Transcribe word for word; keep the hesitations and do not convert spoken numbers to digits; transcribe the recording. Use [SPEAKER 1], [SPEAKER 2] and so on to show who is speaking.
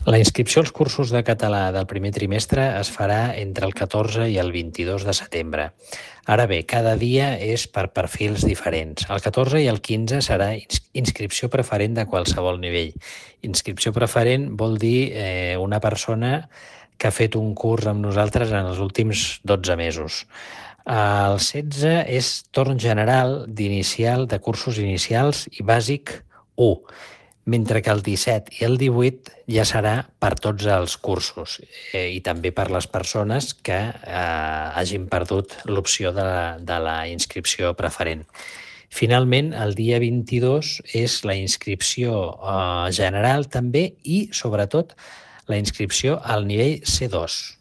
[SPEAKER 1] La inscripció als cursos de català del primer trimestre es farà entre el catorze i el vint-i-dos de setembre. Ara bé, cada dia és per perfils diferents. El catorze i el quinze serà inscripció preferent de qualsevol nivell. Inscripció preferent vol dir eh, una persona que ha fet un curs amb nosaltres en els últims dotze mesos. El setze és torn general d'inicial, de cursos inicials i bàsic u, mentre que el disset i el divuit ja serà per tots els cursos eh, i també per les persones que eh, hagin perdut l'opció de, la, de la inscripció preferent. Finalment, el dia vint-i-dos és la inscripció eh, general també i, sobretot, la inscripció al nivell C dos.